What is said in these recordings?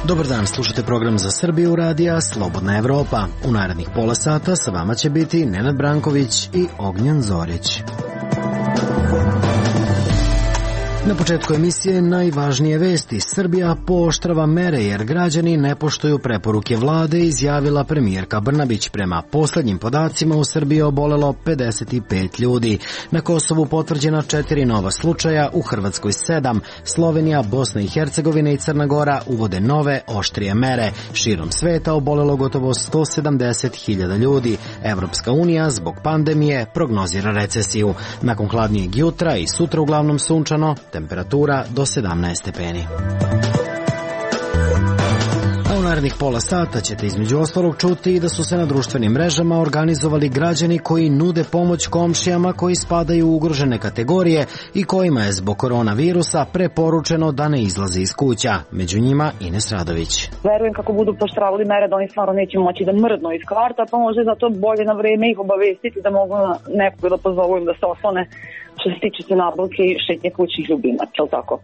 Dobar dan, slušate program Za Srbiju radija Slobodna Evropa. U narednih pola sata sa vama će biti Nenad Branković i Ognjen Zorić. Na početku emisije najvažnije vesti. Srbija pooštrava mere jer građani ne poštuju preporuke vlade, izjavila premijerka Brnabić. Prema poslednjim podacima u Srbiji je obolelo 55 ljudi. Na Kosovu potvrđena 4 nova slučaja, u Hrvatskoj 7. Slovenija, Bosna i Hercegovina i Crna Gora uvode nove, oštrije mere. Širom sveta obolelo gotovo 170.000 ljudi. Evropska unija zbog pandemije prognozira recesiju. Nakon hladnijeg jutra i sutra uglavnom sunčano, temperatura do 17 stepeni. A u narednih pola sata ćete između ostalog čuti i da su se na društvenim mrežama organizovali građani koji nude pomoć komšijama koji spadaju u ugrožene kategorije i kojima je zbog koronavirusa preporučeno da ne izlaze iz kuća. Među njima Ines Radović. Verujem kako budu poštravali mere da oni stvarno neće moći da mrdnu iz kvarta, pa može zato bolje na vreme ih obavestiti da mogu nekog da pozovu im da se oslone što se tiče se nabavke i šetnje kućih ljubimaca, je li tako?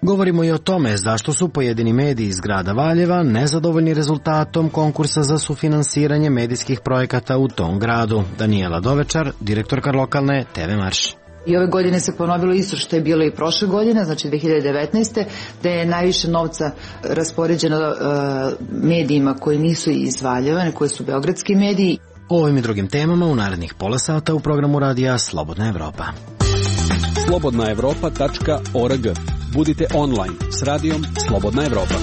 Govorimo i o tome zašto su pojedini mediji iz grada Valjeva nezadovoljni rezultatom konkursa za sufinansiranje medijskih projekata u tom gradu. Danijela Dovečar, direktorka lokalne TV Marš. I ove godine se ponovilo isto što je bilo i prošle godine, znači 2019. da je najviše novca raspoređeno medijima koji nisu iz Valjeva, koji su beogradski mediji. O ovim i drugim temama u narednih pola sata u programu radija Slobodna Evropa. slobodnaevropa.org. Budite online s radijom Slobodna Evropa.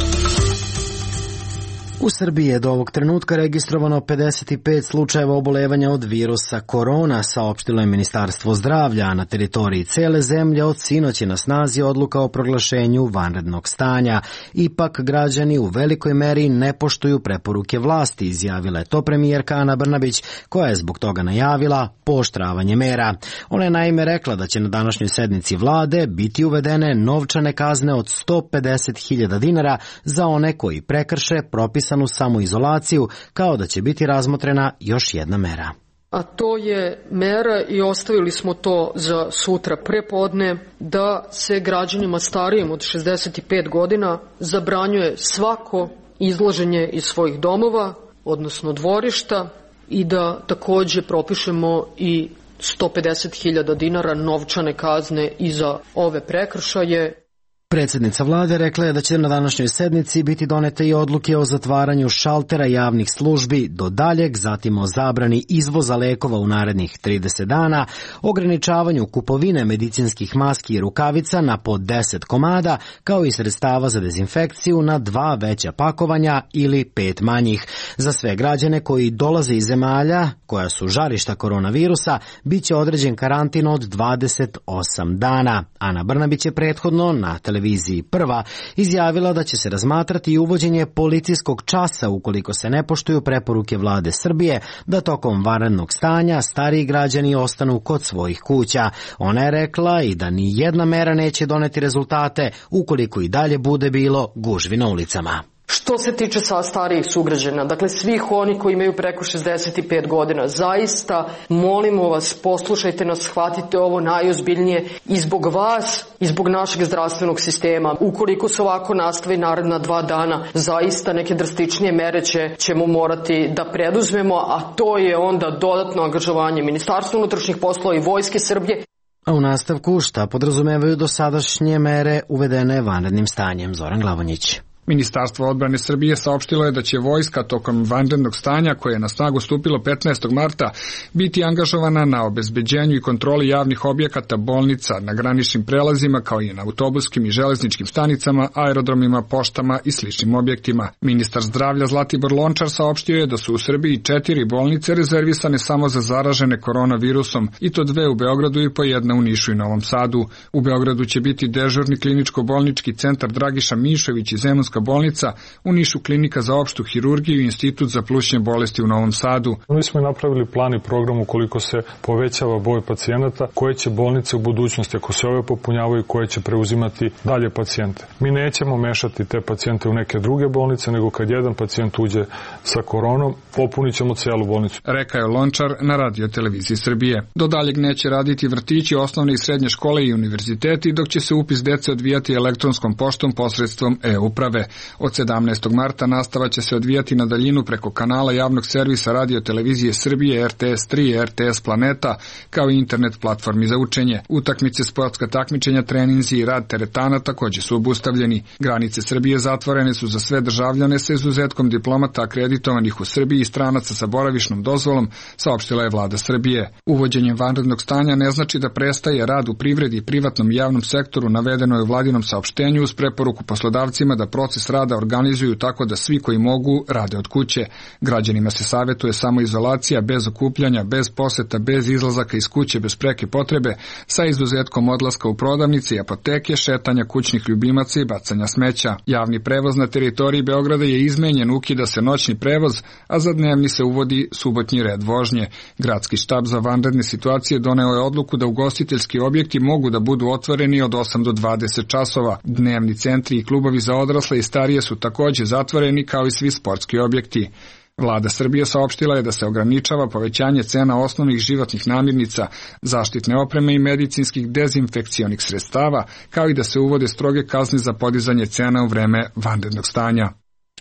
U Srbiji je do ovog trenutka registrovano 55 slučajeva obolevanja od virusa korona, saopštilo je Ministarstvo zdravlja, a na teritoriji cele zemlje od sinoć je na snazi odluka o proglašenju vanrednog stanja. Ipak građani u velikoj meri ne poštuju preporuke vlasti, izjavila je to premijerka Ana Brnabić, koja je zbog toga najavila pooštravanje mera. Ona je naime rekla da će na današnjoj sednici vlade biti uvedene novčane kazne od 150.000 dinara za one koji prekrše propisanu samoizolaciju, kao da će biti razmotrena još jedna mera. A to je mera, i ostavili smo to za sutra prepodne, da se građanima starijim od 65 godina zabranjuje svako izlaženje iz svojih domova, odnosno dvorišta, i da takođe propišemo i 150.000 dinara novčane kazne i za ove prekršaje. Predsjednica vlade rekla je da će na današnjoj sednici biti donete i odluke o zatvaranju šaltera javnih službi do daljeg, zatim o zabrani izvoza lekova u narednih 30 dana, ograničavanju kupovine medicinskih maski i rukavica na po 10 komada, kao i sredstava za dezinfekciju na 2 veća pakovanja ili 5 manjih. Za sve građane koji dolaze iz zemalja koja su žarišta koronavirusa, bit će određen karantin od 28 dana. Ana Brnabić je prethodno na televiziji Prva izjavila da će se razmatrati i uvođenje policijskog časa ukoliko se ne poštuju preporuke vlade Srbije da tokom vanrednog stanja stariji građani ostanu kod svojih kuća. Ona je rekla i da ni jedna mera neće doneti rezultate ukoliko i dalje bude bilo gužvi na ulicama. Što se tiče sa starijih sugrađana, dakle svih oni koji imaju preko 65 godina, zaista molimo vas, poslušajte nas, shvatite ovo najozbiljnije i zbog vas i zbog našeg zdravstvenog sistema. Ukoliko se ovako nastavi naredna 2 dana, zaista neke drastičnije mere ćemo morati da preduzmemo, a to je onda dodatno angažovanje Ministarstva unutrašnjih poslova i Vojske Srbije. A u nastavku šta podrazumevaju dosadašnje mere uvedene vanrednim stanjem? Zoran Glavonjić. Ministarstvo odbrane Srbije saopštilo je da će vojska tokom vanrednog stanja, koje je na snagu stupilo 15. marta, biti angažovana na obezbeđenju i kontroli javnih objekata, bolnica, na graničnim prelazima, kao i na autobuskim i železničkim stanicama, aerodromima, poštama i sličnim objektima. Ministar zdravlja Zlatibor Lončar saopštio je da su u Srbiji 4 bolnice rezervisane samo za zaražene koronavirusom, i to 2 u Beogradu i po 1 u Nišu i Novom Sadu. U Beogradu će biti dežurni kliničko-bolnički centar Dragiša Mišović i Zemunska bolnica, u Nišu klinika za opštu hirurgiju i institut za plućne bolesti u Novom Sadu. Mi smo napravili plan i program ukoliko se povećava broj pacijenata, koje će bolnice u budućnosti, ako se ove popunjavaju, koje će preuzimati dalje pacijente. Mi nećemo mešati te pacijente u neke druge bolnice, nego kad jedan pacijent uđe sa koronom, popunit ćemo celu bolnicu. Rekao je Lončar na Radio televiziji Srbije. Do daljeg neće raditi vrtići, osnovne i srednje škole i univerziteti, dok će se upis dece odvijati elektronskom poštom posredstvom e-uprave. Od 17. marta nastava će se odvijati na daljinu preko kanala javnog servisa Radio televizije Srbije, RTS3 i RTS Planeta, kao i internet platformi za učenje. Utakmice, sportska takmičenja, treninzi i rad teretana takođe su obustavljeni. Granice Srbije zatvorene su za sve državljane sa izuzetkom diplomata akreditovanih u Srbiji i stranaca sa boravišnom dozvolom, saopštila je vlada Srbije. Uvođenjem vanrednog stanja ne znači da prestaje rad u privredi i privatnom i javnom sektoru, navedeno je u vladinom saopštenju uz preporuku poslodavcima da proces rada organizuju tako da svi koji mogu rade od kuće. Građanima se savetuje samoizolacija bez okupljanja, bez poseta, bez izlazaka iz kuće bez preke potrebe, sa izuzetkom odlaska u prodavnice i apoteke, šetanja kućnih ljubimaca i bacanja smeća. Javni prevoz na teritoriji Beograda je izmenjen, ukida se noćni prevoz, a za dnevni se uvodi subotnji red vožnje. Gradski štab za vanredne situacije doneo je odluku da ugostiteljski objekti mogu da budu otvoreni od 8 do 20 časova. Dnevni centri i klubovi za odrasle i starije su takođe zatvoreni kao i svi sportski objekti. Vlada Srbije saopštila je da se ograničava povećanje cena osnovnih životnih namirnica, zaštitne opreme i medicinskih dezinfekcionih sredstava, kao i da se uvode stroge kazne za podizanje cena u vreme vanrednog stanja.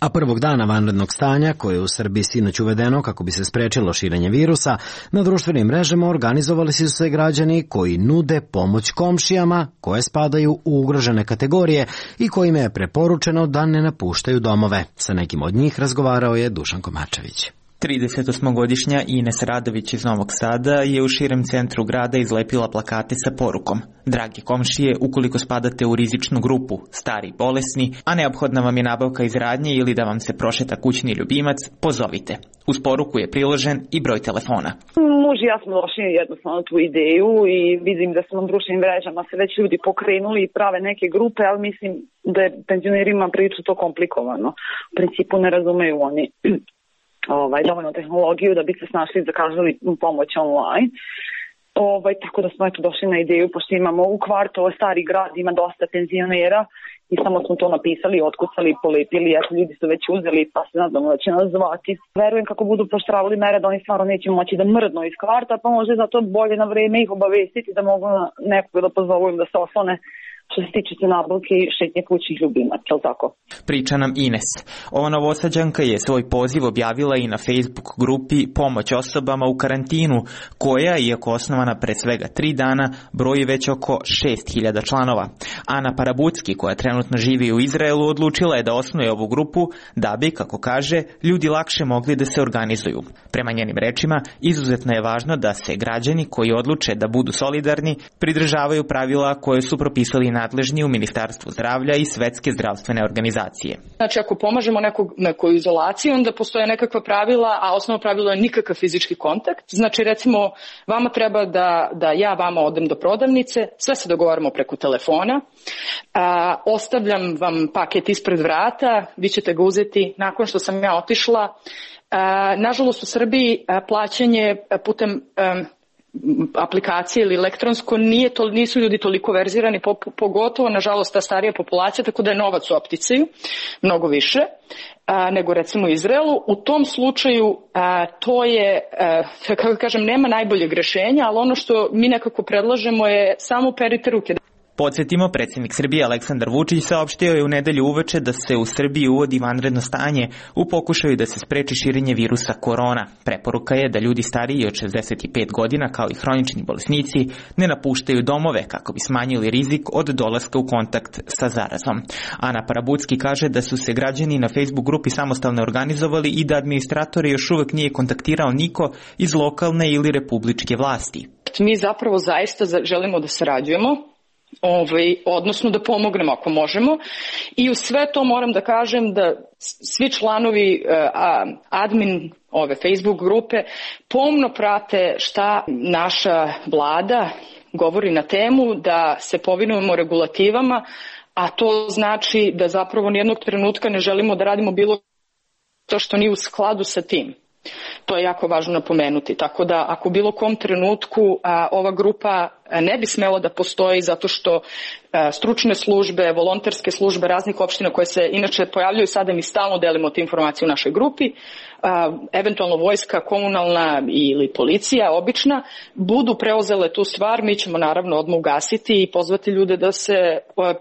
A prvog dana vanrednog stanja, koje je u Srbiji sinoć uvedeno kako bi se sprečilo širenje virusa, na društvenim mrežama organizovali su se građani koji nude pomoć komšijama koje spadaju u ugrožene kategorije i kojima je preporučeno da ne napuštaju domove. Sa nekim od njih razgovarao je Dušan Komačević. 38-godišnja Ines Radović iz Novog Sada je u širem centru grada izlepila plakate sa porukom: dragi komšije, ukoliko spadate u rizičnu grupu, stari, bolesni, a neophodna vam je nabavka iz radnje ili da vam se prošeta kućni ljubimac, pozovite. Uz poruku je priložen i broj telefona. Muž i ja smo došli jednostavno tu ideju i vidim da su na društvenim mrežama se već ljudi pokrenuli i prave neke grupe, ali mislim da je penzionerima priču to komplikovano. U principu ne razumeju oni dovoljno tehnologiju da bi se snašli i zakazali pomoć online. Tako da smo došli na ideju, pošto imamo u kvartu stari grad, ima dosta penzionera i samo smo to napisali, otkucali, polepili, ljudi su već uzeli, pa se nadamo da će nas zvati. Verujem kako budu poštravali mere da oni stvarno neće moći da mrdnu iz kvarta, pa može zato bolje na vreme ih obavestiti da mogu nekog da pozovu im da se oslone što se tiče nabavke i šetnje kućnih ljubimaca, je li tako? Priča nam Ines. Ova Novosađanka je svoj poziv objavila i na Facebook grupi Pomoć osobama u karantinu, koja, iako osnovana pre svega 3 dana, broji već oko 6.000 članova. Ana Parabucki, koja trenutno živi u Izraelu, odlučila je da osnuje ovu grupu da bi, kako kaže, ljudi lakše mogli da se organizuju. Prema njenim rečima, izuzetno je važno da se građani koji odluče da budu solidarni pridržavaju pravila koje su propisali nadležni u Ministarstvu zdravlja i Svetske zdravstvene organizacije. Znači, ako pomažemo nekoj izolaciji, onda postoje nekakva pravila, a osnovno pravilo je nikakav fizički kontakt. Znači, recimo, vama treba da ja vama odem do prodavnice, sve se dogovaramo preko telefona, ostavljam vam paket ispred vrata, vi ćete ga uzeti nakon što sam ja otišla. Nažalost, u Srbiji plaćanje putem aplikacije ili elektronsko nisu ljudi toliko verzirani, pogotovo nažalost ta starija populacija, tako da je novac u opticaju mnogo više nego recimo u Izraelu. U tom slučaju to je, kako kažem, nema najboljeg rešenja, ali ono što mi nekako predlažemo je samo perite ruke. Podsjetimo, predsjednik Srbije Aleksandar Vučić saopštio je u nedelju uveče da se u Srbiji uvodi vanredno stanje u pokušaju da se spreči širenje virusa korona. Preporuka je da ljudi stariji od 65 godina, kao i hronični bolesnici, ne napuštaju domove kako bi smanjili rizik od dolaska u kontakt sa zarazom. Ana Parabucki kaže da su se građani na Facebook grupi samostalno organizovali i da administratori još uvek nije kontaktirao niko iz lokalne ili republičke vlasti. Mi zapravo zaista želimo da sarađujemo, odnosno da pomognemo ako možemo, i u sve to moram da kažem da svi članovi admin ove Facebook grupe pomno prate šta naša vlada govori na temu, da se povinujemo regulativama, a to znači da zapravo nijednog trenutka ne želimo da radimo bilo to što nije u skladu sa tim. To je jako važno napomenuti, tako da ako u bilo kom trenutku ova grupa ne bi smelo da postoji zato što stručne službe, volonterske službe raznih opština koje se inače pojavljaju sada, mi stalno delimo te informacije u našoj grupi, eventualno vojska, komunalna ili policija obična, budu preuzele tu stvar, mi ćemo naravno odmah ugasiti i pozvati ljude da se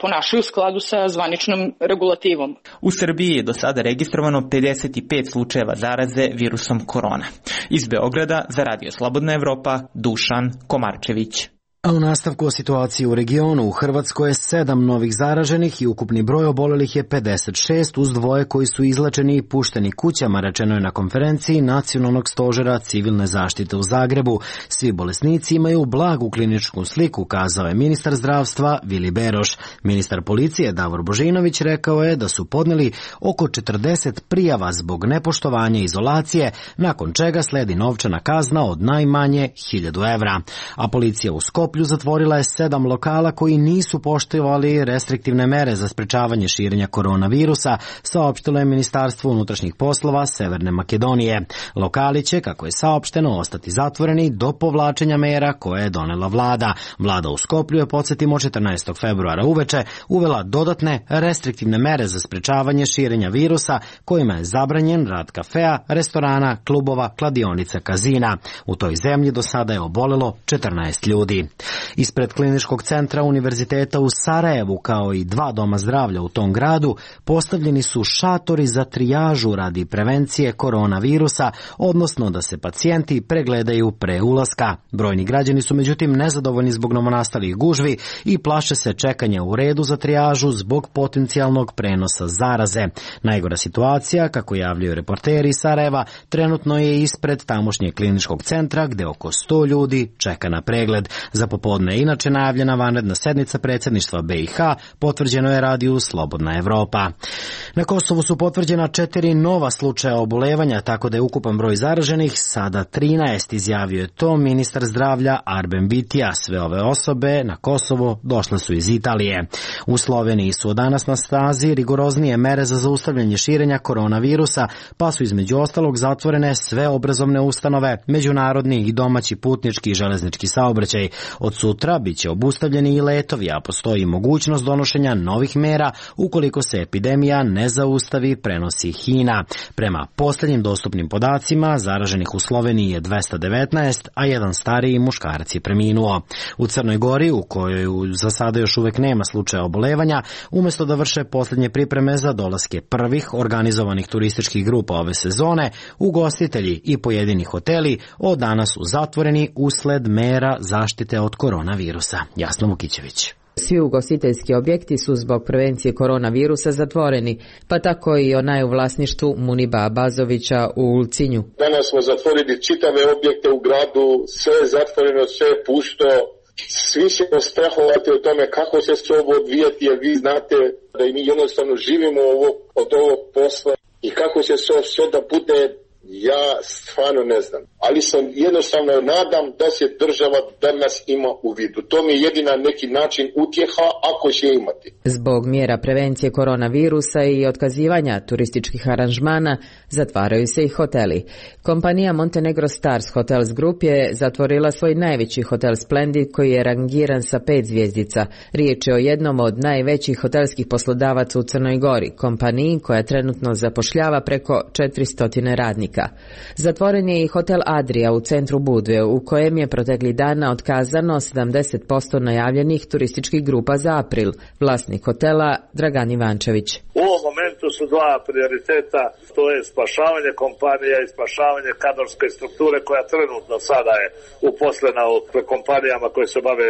ponašaju u skladu sa zvaničnom regulativom. U Srbiji je do sada registrovano 55 slučajeva zaraze virusom korona. Iz Beograda za Radio Slobodna Evropa, Dušan Komarčević. A u nastavku o situaciji u regionu, u Hrvatskoj je 7 novih zaraženih i ukupni broj obolelih je 56, uz 2 koji su izlečeni i pušteni kućama, rečeno je na konferenciji Nacionalnog stožera civilne zaštite u Zagrebu. Svi bolesnici imaju blagu kliničku sliku, kazao je ministar zdravstva Vili Beroš. Ministar policije Davor Božinović rekao je da su podneli oko 40 prijava zbog nepoštovanja izolacije, nakon čega sledi novčana kazna od najmanje 1000 evra. A policija u Skoplju zatvorila je 7 lokala koji nisu poštivali restriktivne mere za sprečavanje širenja koronavirusa, saopštilo je Ministarstvo unutrašnjih poslova Severne Makedonije. Lokali će, kako je saopšteno, ostati zatvoreni do povlačenja mera koje je donela vlada. Vlada u Skoplju je, podsjetimo, 14. februara uveče uvela dodatne restriktivne mere za sprečavanje širenja virusa, kojima je zabranjen rad kafea, restorana, klubova, kladionica, kazina. U toj zemlji do sada je obolelo 14 ljudi. Ispred kliničkog centra Univerziteta u Sarajevu, kao i 2 doma zdravlja u tom gradu, postavljeni su šatori za trijažu radi prevencije koronavirusa, odnosno da se pacijenti pregledaju pre ulaska. Brojni građani su međutim nezadovoljni zbog novonastalih gužvi i plaše se čekanja u redu za trijažu zbog potencijalnog prenosa zaraze. Najgora situacija, kako javljaju reporteri iz Sarajeva, trenutno je ispred tamošnjeg kliničkog centra gde oko 100 ljudi čeka na pregled. Za popodne je inače najavljena vanredna sednica predsjedništva BiH, potvrđeno je radiju Slobodna Evropa. Na Kosovu su potvrđena 4 nova slučaja obolevanja, tako da je ukupan broj zaraženih sada 13, izjavio je to ministar zdravlja Arben Bitija. Sve ove osobe na Kosovo došle su iz Italije. U Sloveniji su od danas na snazi rigoroznije mere za zaustavljanje širenja koronavirusa, pa su između ostalog zatvorene sve obrazovne ustanove, međunarodni i domaći putnički i železnički saobraćaj. Od sutra biće obustavljeni i letovi, a postoji mogućnost donošenja novih mera ukoliko se epidemija ne zaustavi, prenosi HINA. Prema posljednjim dostupnim podacima, zaraženih u Sloveniji je 219, a jedan stariji muškarac je preminuo. U Crnoj Gori, u kojoj za sada još uvek nema slučaja obolevanja, umjesto da vrše posljednje pripreme za dolaske prvih organizovanih turističkih grupa ove sezone, ugostitelji i pojedini hoteli od danas su zatvoreni usled mera zaštite od koronavirusa. Jasna Vukićević. Svi ugostiteljski objekti su zbog prevencije koronavirusa zatvoreni, pa tako i onaj u vlasništvu Muniba Abazovića u Ulcinju. Danas smo zatvorili čitave objekte u gradu, sve je zatvoreno, sve je pusto. Svi ćemo strahovati o tome kako će se ovo odvijati, jer vi znate da mi jednostavno živimo od ovog posla i kako će se sve da bude, ja stvarno ne znam. Ali sam jednostavno nadam da se država danas ima u vidu. To mi je jedina neki način utjeha ako će imati. Zbog mjera prevencije koronavirusa i otkazivanja turističkih aranžmana zatvaraju se i hoteli. Kompanija Montenegro Stars Hotels Group je zatvorila svoj najveći hotel Splendid koji je rangiran sa 5 zvjezdica. Riječ je o jednom od najvećih hotelskih poslodavaca u Crnoj Gori, kompaniji koja trenutno zapošljava preko 400 radnika. Zatvoren je i hotel Adria u centru Budve, u kojem je protekli dana otkazano 70% najavljenih turističkih grupa za april. Vlasnik hotela Dragan Ivančević. U ovom momentu su 2 prioriteta, to je spašavanje kompanija i spašavanje kadrovske strukture koja trenutno sada je uposlena u kompanijama koje se bave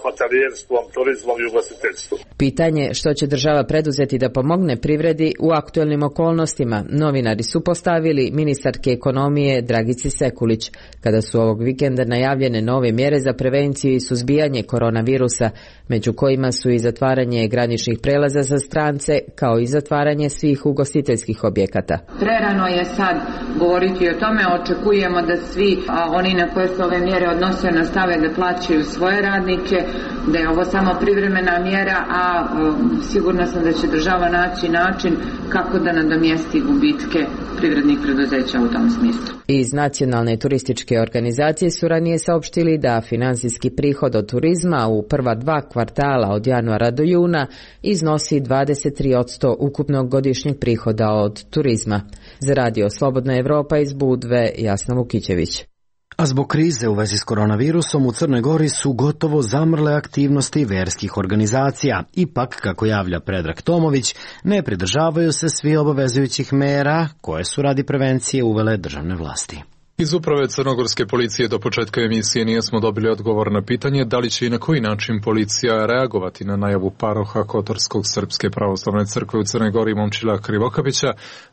hotelijerstvom, turizmom i ugostiteljstvom. Pitanje što će država preduzeti da pomogne privredi u aktuelnim okolnostima, novinari su postavili ministarke ekonomije Dragici Sekulić, kada su ovog vikenda najavljene nove mjere za prevenciju i suzbijanje koronavirusa, među kojima su i zatvaranje graničnih prelaza za strance, kao i zatvaranje svih ugostiteljskih objekata. Prerano je sad govoriti o tome, očekujemo da svi oni na koje se ove mjere odnose nastave da plaćaju svoje radnike, da je ovo samo privremena mjera, a sigurna sam da će država naći način kako da nadomjesti gubitke privrednih preduzeća ništa u tom smislu. Iz Nacionalne turističke organizacije su ranije saopštili da finansijski prihod od turizma u prva 2 kvartala od januara do juna iznosi 23% ukupnog godišnjeg prihoda od turizma. Za Radio Slobodna Evropa iz Budve, Jasna Vukićević. A zbog krize u vezi s koronavirusom u Crnoj Gori su gotovo zamrle aktivnosti verskih organizacija. Ipak, kako javlja Predrag Tomović, ne pridržavaju se svi obavezujućih mera koje su radi prevencije uvele državne vlasti. Iz uprave crnogorske policije do početka emisije nismo dobili odgovor na pitanje da li će i na koji način policija reagovati na najavu paroha Kotorskog Srpske pravoslavne crkve u Crnoj Gori Momčila Krivokapića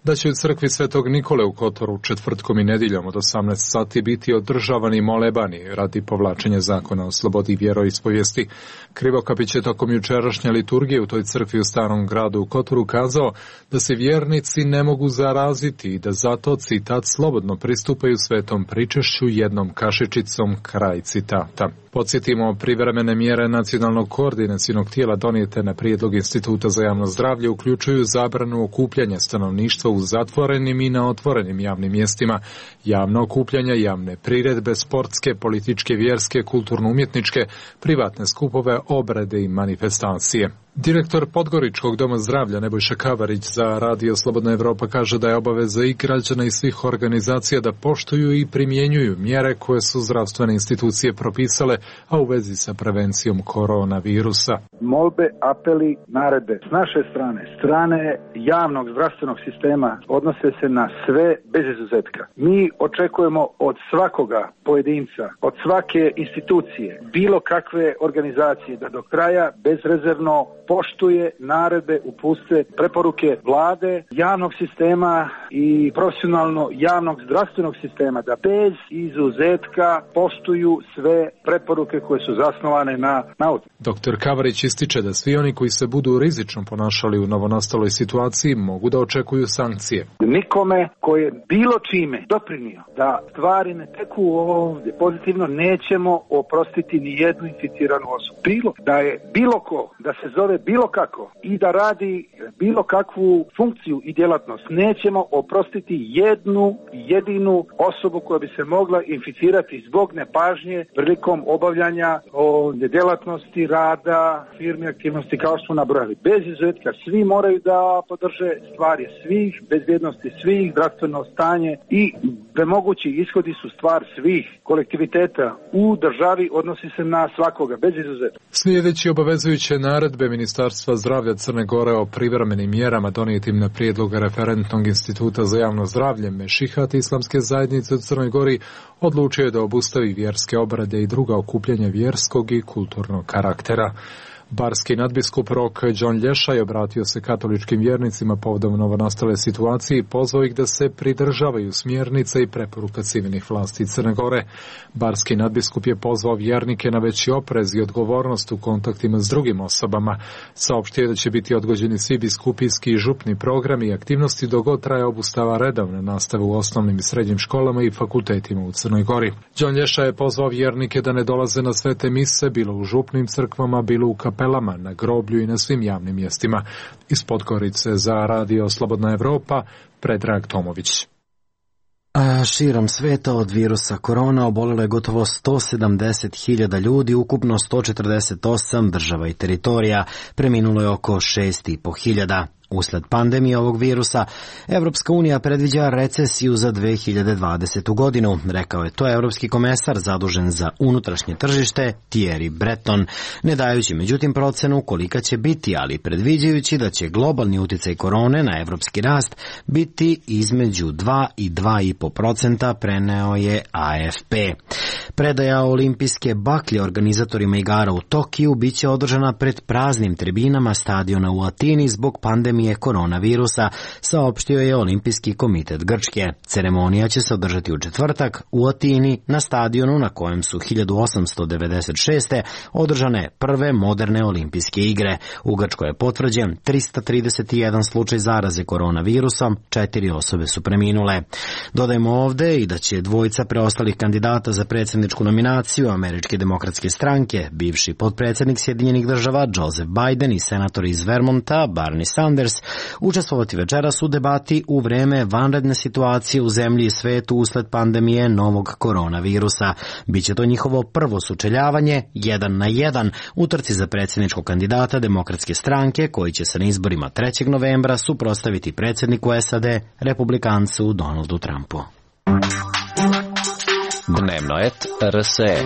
da će u crkvi Svetog Nikole u Kotoru četvrtkom i nedjeljom od 18 sati biti održavani molebani radi povlačenja zakona o slobodi vjeroispovijesti. Krivokapić je tokom jučerašnje liturgije u toj crkvi u Starom gradu u Kotoru kazao da se vjernici ne mogu zaraziti i da zato, citat, slobodno pristupaju svetom pričešću jednom kašičicom, kraj citata. Podsjetimo, privremene mjere nacionalnog koordinacionog tijela donijete na prijedlog Instituta za javno zdravlje uključuju zabranu okupljanja stanovništva u zatvorenim i na otvorenim javnim mjestima, javno okupljanja, javne priredbe, sportske, političke, vjerske, kulturno-umjetničke, privatne skupove, obrede i manifestacije. Direktor Podgoričkog doma zdravlja Nebojša Kavarić za Radio Slobodna Evropa kaže da je obaveza i građana i svih organizacija da poštuju i primjenjuju mjere koje su zdravstvene institucije propisale, a u vezi sa prevencijom koronavirusa. Molbe, apeli, naredbe s naše strane javnog zdravstvenog sistema odnose se na sve bez izuzetka. Mi očekujemo od svakoga pojedinca, od svake institucije, bilo kakve organizacije da do kraja bezrezervno poštuje naredbe, uputstva, preporuke vlade, javnog sistema i profesionalno javnog zdravstvenog sistema, da bez izuzetka poštuju sve preporuke koje su zasnovane na nauci. Dr. Kavarić ističe da svi oni koji se budu rizično ponašali u novonastaloj situaciji mogu da očekuju sankcije. Nikome koji je bilo čime doprinio da stvari ne teku ovdje pozitivno, nećemo oprostiti ni jednu inficiranu osobu. Bilo da je bilo ko, da se zove bilo kako i da radi bilo kakvu funkciju i djelatnost, nećemo oprostiti jednu jedinu osobu koja bi se mogla inficirati zbog nepažnje prilikom obavljanja djelatnosti, rada, firme, aktivnosti kao što smo nabrojali. Bez izuzetka svi moraju da podrže stvari svih, bezbjednosti svih, zdravstveno stanje i mogući ishodi su stvar svih kolektiviteta u državi, odnosi se na svakoga, bez izuzetka. Slijedeći obavezujuće naredbe Ministarstva zdravlja Crne Gore o privremenim mjerama donijetim na prijedlog Referentnog instituta za javno zdravlje, Mešihat Islamske zajednice u Crnoj Gori odlučio je da obustavi vjerske obrede i druga okupljanja vjerskog i kulturnog karaktera. Barski nadbiskup Rok John Lješaj obratio se katoličkim vjernicima povodom novonastale situacije i pozvao ih da se pridržavaju smjernica i preporuka civilnih vlasti Crne Gore. Barski nadbiskup je pozvao vjernike na veći oprez i odgovornost u kontaktima s drugim osobama. Saopštio da će biti odgođeni svi biskupijski i župni programi i aktivnosti dok god traje obustava redovne nastave u osnovnim i srednjim školama i fakultetima u Crnoj Gori. John Lješaj je pozvao vjernike da ne dolaze na svete mise, bilo u župnim crkvama, bilo u kapelama, na groblju i na svim javnim mjestima. Iz Podgorice za Radio Slobodna Evropa, Predrag Tomović. A širom sveta od virusa korona obolilo je gotovo 170.000 ljudi, ukupno 148 država i teritorija, preminulo je oko 6.500. Usled pandemije ovog virusa, Evropska unija predviđa recesiju za 2020. godinu, rekao je to evropski komesar zadužen za unutrašnje tržište Thierry Breton, ne dajući međutim procenu kolika će biti, ali predviđajući da će globalni uticaj korone na evropski rast biti između 2 i 2,5%, preneo je AFP. Predaja olimpijske baklje organizatorima igara u Tokiju biće održana pred praznim tribinama stadiona u Atini zbog pandemije koronavirusa, saopštio je Olimpijski komitet Grčke. Ceremonija će se održati u četvrtak u Atini na stadionu na kojem su 1896. održane prve moderne olimpijske igre. U Grčkoj je potvrđen 331 slučaj zaraze koronavirusom, 4 osobe su preminule. Dodajmo ovde i da će dvojica preostalih kandidata za predsjednika predsjedničku nominaciju Američke demokratske stranke, bivši potpredsjednik Sjedinjenih država Joseph Biden i senator iz Vermonta Bernie Sanders učestvovati večeras u debati u vreme vanredne situacije u zemlji i svetu usled pandemije novog koronavirusa. Biće to njihovo prvo sučeljavanje 1 na 1 u trci za predsjedničkog kandidata Demokratske stranke koji će se na izborima 3. novembra suprotstaviti predsjedniku SAD, republikancu Donaldu Trumpu. Dnevno et RSE.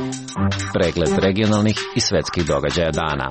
Pregled regionalnih i svetskih događaja dana.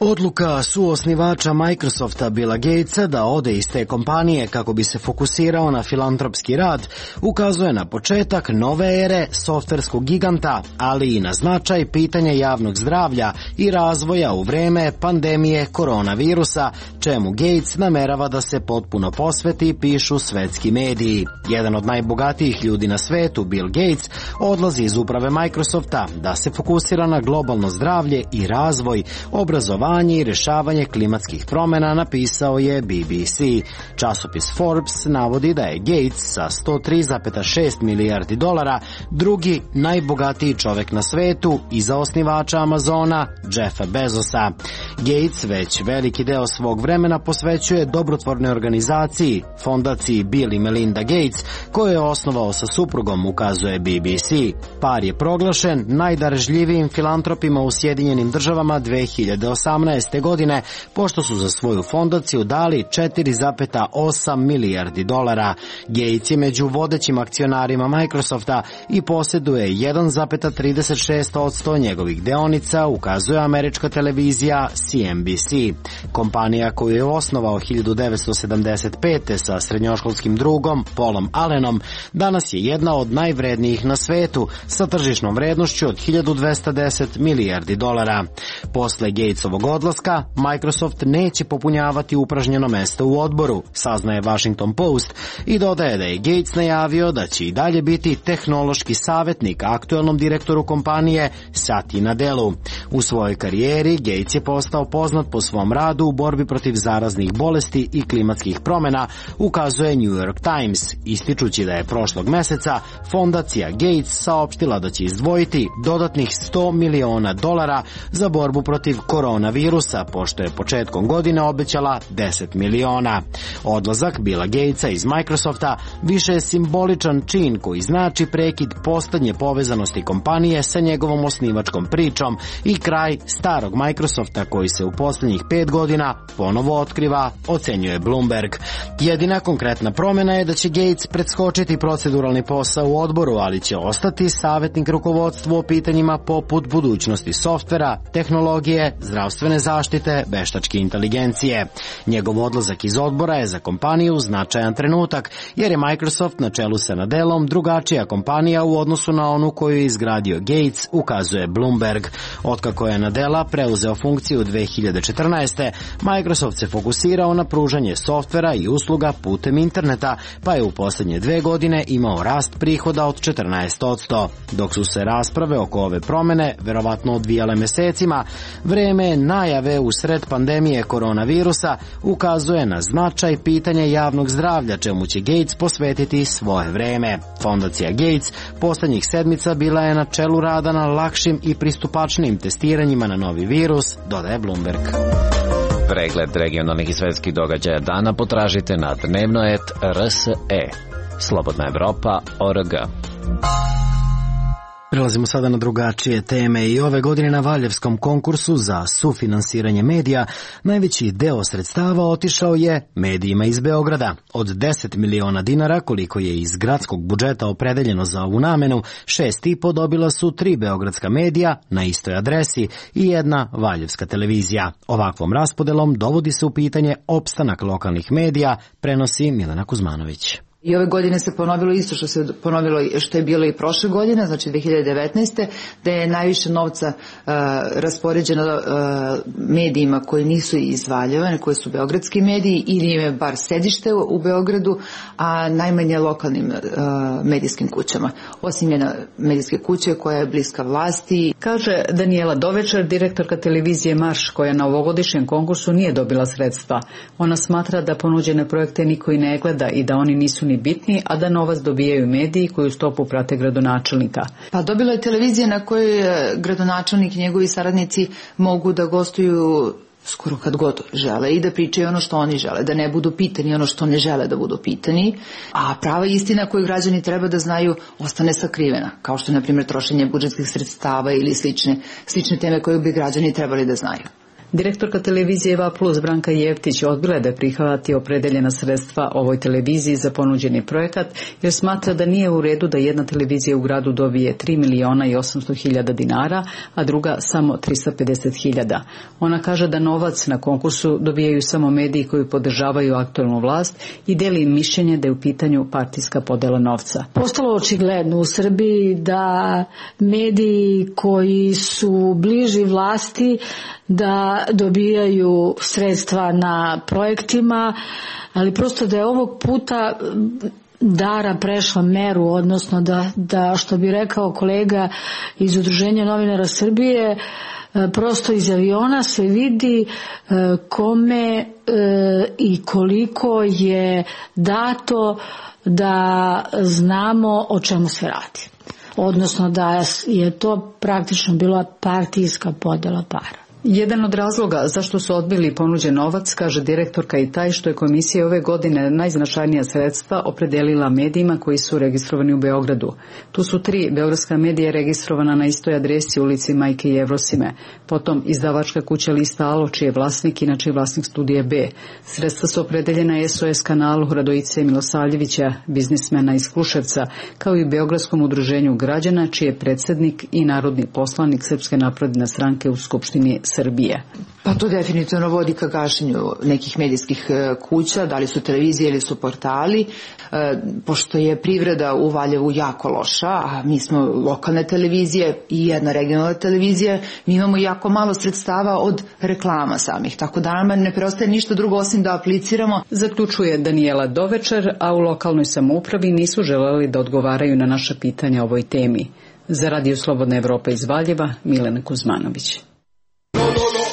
Odluka suosnivača Microsofta Billa Gatesa da ode iz te kompanije kako bi se fokusirao na filantropski rad ukazuje na početak nove ere softverskog giganta, ali i na značaj pitanja javnog zdravlja i razvoja u vreme pandemije koronavirusa, čemu Gates namerava da se potpuno posveti, pišu svetski mediji. Jedan od najbogatijih ljudi na svetu, Bill Gates, odlazi iz uprave Microsofta da se fokusira na globalno zdravlje i razvoj, obrazovanje i rješavanje klimatskih promjena, napisao je BBC. Časopis Forbes navodi da je Gates sa 103,6 milijardi dolara drugi najbogatiji čovjek na svetu iza osnivača Amazona Jeffa Bezosa. Gates već veliki deo svog vremena posvećuje dobrotvornoj organizaciji, fondaciji Bill i Melinda Gates, koju je osnovao sa suprugom, ukazuje BBC. Par je proglašen najdarežljivijim filantropima u Sjedinjenim državama 2018. godine, pošto su za svoju fondaciju dali 4,8 milijardi dolara. Gates je među vodećim akcionarima Microsofta i posjeduje 1,36% njegovih deonica, ukazuje američka televizija CNBC. Kompanija koju je osnovao 1975. sa srednjoškolskim drugom Paulom Allenom danas je jedna od najvrednijih na svetu sa tržišnom vrednošću od 1210 milijardi dolara. Posle Gatesovog odlaska, Microsoft neće popunjavati upražnjeno mesto u odboru, saznaje Washington Post, i dodaje da je Gates najavio da će i dalje biti tehnološki savjetnik aktuelnom direktoru kompanije Satyi Nadellu. U svojoj karijeri Gates je postao poznat po svom radu u borbi protiv zaraznih bolesti i klimatskih promjena, ukazuje New York Times, ističući da je prošlog meseca fondacija Gates saopštila da će izdvojiti dodatnih $100 miliona za borbu protiv koronavirusa, pošto je početkom godine obećala 10 miliona. Odlazak Billa Gatesa iz Microsofta više je simboličan čin koji znači prekid poslednje povezanosti kompanije sa njegovom osnivačkom pričom i kraj starog Microsofta koji se u posljednjih 5 godina ponovo otkriva, ocenjuje Bloomberg. Jedina konkretna promjena je da će Gates preskočiti proceduralni posao u odboru, ali će ostati savjetnik rukovodstvu o pitanjima poput budućnosti softvera, tehnologije, zdravstvene zaštite, veštačke inteligencije. Njegov odlazak iz odbora je za kompaniju značajan trenutak, jer je Microsoft na čelu sa Nadellom drugačija kompanija u odnosu na onu koju je izgradio Gates, ukazuje Bloomberg. Otkako je Nadella preuzeo funkciju 2014. Microsoft se fokusirao na pružanje softvera i usluga putem interneta, pa je u posljednje 2 godine imao rast prihoda od 14%. Dok su se rasprave oko ove promjene verovatno odvijale mesecima, vreme najave usred pandemije koronavirusa ukazuje na značaj pitanja javnog zdravlja, čemu će Gates posvetiti svoje vreme. Fondacija Gates posljednjih sedmica bila je na čelu rada na lakšim i pristupačnim testiranjima na novi virus, dodaje Bloomberg. Pregled regionalnih i svetskih događaja dana potražite na dnevnoet.rse. Slobodna Evropa.org. Prelazimo sada na drugačije teme i ove godine na Valjevskom konkursu za sufinansiranje medija najveći deo sredstava otišao je medijima iz Beograda. Od 10 miliona dinara koliko je iz gradskog budžeta opredeljeno za ovu namenu, 6,5 dobila su 3 beogradska medija na istoj adresi i 1 valjevska televizija. Ovakvom raspodelom dovodi se u pitanje opstanak lokalnih medija, prenosi Milena Kuzmanović. I ove godine se ponovilo isto što se ponovilo što je bilo i prošle godine, znači 2019. da je najviše novca raspoređeno medijima koji nisu iz Valjeva, koji su beogradski mediji ili im je bar sedište u Beogradu, a najmanje lokalnim medijskim kućama. Osim jedne medijske kuće koja je bliska vlasti. Kaže Danijela Dovečar, direktorka televizije Marš, koja na ovogodišnjem konkursu nije dobila sredstva. Ona smatra da ponuđene projekte niko i ne gleda i da oni nisu ni oni bitni, a da novac dobijaju mediji koji u stopu prate gradonačelnika. Pa dobila je televizija na kojoj gradonačelnik i njegovi saradnici mogu da gostuju skoro kad god žele i da pričaju ono što oni žele, da ne budu pitani ono što ne žele da budu pitani, a prava istina koju građani treba da znaju ostane sakrivena, kao što je, na primjer, trošenje budžetskih sredstava ili slične teme koje bi građani trebali da znaju. Direktorka televizije EVA Plus Branka Jeftić odbila da prihvati opredeljena sredstva ovoj televiziji za ponuđeni projekat, jer smatra da nije u redu da jedna televizija u gradu dobije 3.800.000 dinara, a druga samo 350.000. Ona kaže da novac na konkursu dobijaju samo mediji koji podržavaju aktuelnu vlast i deli mišljenje da je u pitanju partijska podela novca. Postalo očigledno u Srbiji da mediji koji su bliži vlasti da dobijaju sredstva na projektima, ali prosto da je ovog puta Dara prešla meru, odnosno da što bi rekao kolega iz Udruženja novinara Srbije, prosto iz aviona se vidi kome i koliko je dato da znamo o čemu se radi. Odnosno da je to praktično bila partijska podela para. Jedan od razloga zašto su odbili ponuđen novac, kaže direktorka, i taj što je komisija ove godine najznačajnija sredstva opredelila medijima koji su registrovani u Beogradu. Tu su 3 beogradska medija registrovana na istoj adresi ulici Majke Jevrosime, potom izdavačka kuća Lista Alo, čiji je vlasnik, inače je vlasnik Studije B. Sredstva su opredeljena SOS kanalu Radojice Milosavljevića, biznismena iz Kruševca, kao i Beogradskom udruženju građana, čiji je predsjednik i narodni poslanik Srpske napredne stranke u Skupštini Srbije. Pa to definitivno vodi ka gašenju nekih medijskih kuća, da li su televizije ili su portali, pošto je privreda u Valjevu jako loša, a mi smo lokalne televizije i jedna regionalna televizija, mi imamo jako malo sredstava od reklama samih, tako da nam ne preostaje ništa drugo osim da apliciramo. Zaključuje Danijela Dovečer, a u lokalnoj samoupravi nisu želeli da odgovaraju na naša pitanja o ovoj temi. Za Radio Slobodna Evropa iz Valjeva, Milena Kuzmanović.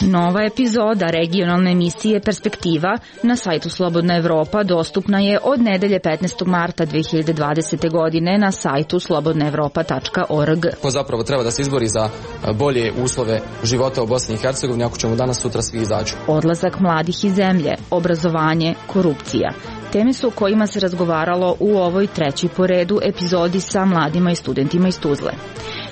Nova epizoda regionalne emisije Perspektiva na sajtu Slobodna Evropa dostupna je od nedelje 15. marta 2020. godine na sajtu slobodnaevropa.org. Ko zapravo treba da se izbori za bolje uslove života u Bosni i Hercegovini, ako ćemo danas sutra svi izađu? Odlazak mladih iz zemlje, obrazovanje, korupcija. Teme su o kojima se razgovaralo u ovoj trećoj po redu epizodi sa mladima i studentima iz Tuzle.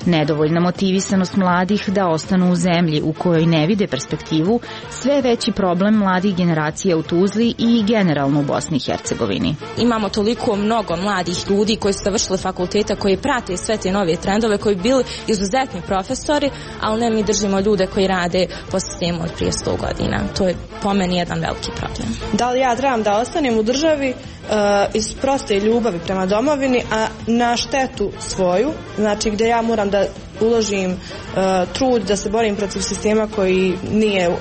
Nedovoljna motivisanost mladih da ostanu u zemlji u kojoj ne vide perspektivu, sve veći problem mladih generacija u Tuzli i generalno u Bosni i Hercegovini. Imamo toliko mnogo mladih ljudi koji su završili fakulteta, koji prate sve te nove trendove, koji bili izuzetni profesori, ali ne, mi držimo ljude koji rade po sistemu od prije 100 godina. To je po meni jedan veliki problem. Da li ja trebam da ostanem u državi iz proste ljubavi prema domovini, a na štetu svoju, znači gdje ja moram da uložim trud da se borim protiv sistema koji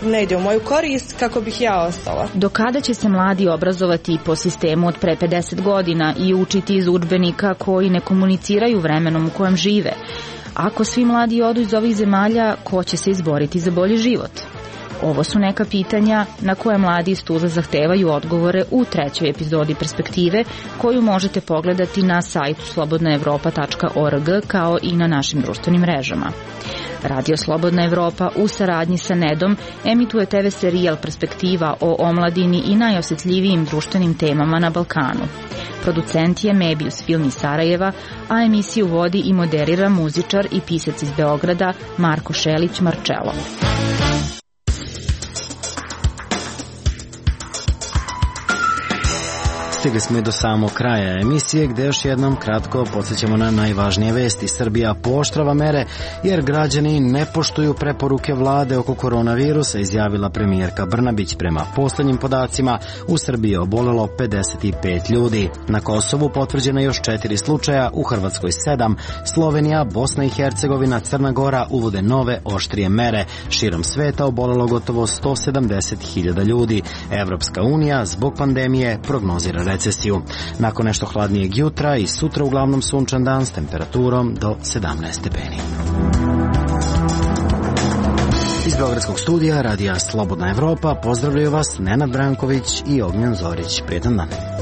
ne ide u moju korist, kako bih ja ostala. Do kada će se mladi obrazovati po sistemu od pre 50 godina i učiti iz udžbenika koji ne komuniciraju vremenom u kojem žive? Ako svi mladi odu iz ovih zemalja, ko će se izboriti za bolji život? Ovo su neka pitanja na koje mladi iz Tuzle zahtevaju odgovore u trećoj epizodi Perspektive, koju možete pogledati na sajtu slobodnaevropa.org kao i na našim društvenim mrežama. Radio Slobodna Evropa u saradnji sa Nedom emituje TV serijal Perspektiva o omladini i najosjetljivijim društvenim temama na Balkanu. Producent je Mebius Film iz Sarajeva, a emisiju vodi i moderira muzičar i pisac iz Beograda Marko Šelić Marčelo. Stigli smo i do samog kraja emisije, gde još jednom kratko podsjećamo na najvažnije vesti. Srbija pooštrava mere jer građani ne poštuju preporuke vlade oko koronavirusa, izjavila premijerka Brnabić. Prema poslednjim podacima u Srbiji je obolelo 55 ljudi. Na Kosovu potvrđeno još 4 slučaja, u Hrvatskoj 7, Slovenija, Bosna i Hercegovina, Crna Gora uvode nove oštrije mere. Širom sveta obolelo gotovo 170.000 ljudi. Evropska unija zbog pandemije prognozira recesiju. Nakon nešto hladnijeg jutra i sutra uglavnom sunčan dan s temperaturom do 17 stepeni. Iz Beogradskog studija Radija Slobodna Evropa pozdravljaju vas Nenad Branković i Ognjen Zorić. Prijetan dan.